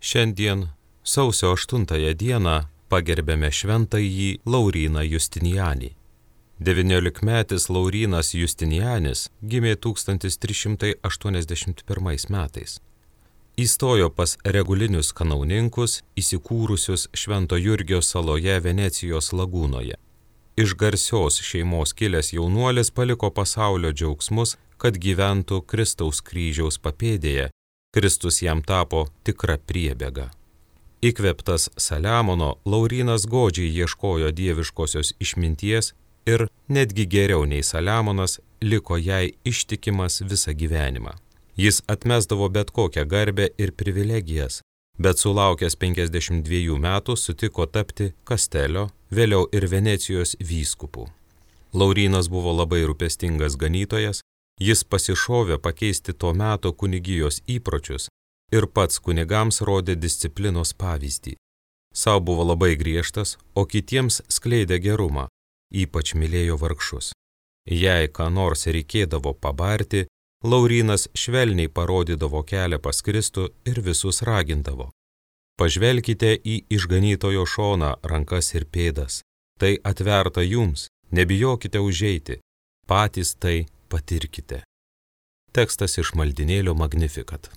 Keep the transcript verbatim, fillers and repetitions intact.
Šiandien, sausio aštuntąją dieną, pagerbėme šventąjį Lauryną Justinianį. devyniolikmetis Laurynas Justinianis gimė tūkstantis trys šimtai aštuoniasdešimt pirmais metais. Įstojo pas regulinius kanauninkus, įsikūrusius Švento Jurgio saloje Venecijos lagūnoje. Iš garsios šeimos kilęs jaunuolis paliko pasaulio džiaugsmus, kad gyventų Kristaus kryžiaus papėdėje. Kristus jam tapo tikra priebėga. Įkvėptas Saliamono, Laurynas godžiai ieškojo dieviškosios išminties ir netgi geriau nei Saliamonas liko jai ištikimas visą gyvenimą. Jis atmesdavo bet kokią garbę ir privilegijas, bet sulaukęs penkiasdešimt dviejų metų sutiko tapti Kastelio, vėliau ir Venecijos vyskupu. Laurynas buvo labai rūpestingas ganytojas, jis pasišovė pakeisti to meto kunigijos įpročius ir pats kunigams rodė disciplinos pavyzdį. Sau buvo labai griežtas, o kitiems skleidė gerumą, ypač mylėjo vargšus. Jei ką nors reikėdavo pabarti, Laurynas švelniai parodydavo kelią pas Kristų ir visus ragindavo. Pažvelkite į išganytojo šoną, rankas ir pėdas. Tai atverta jums, nebijokite užeiti, patys tai patirkite. Tekstas iš maldynėlio Magnificat.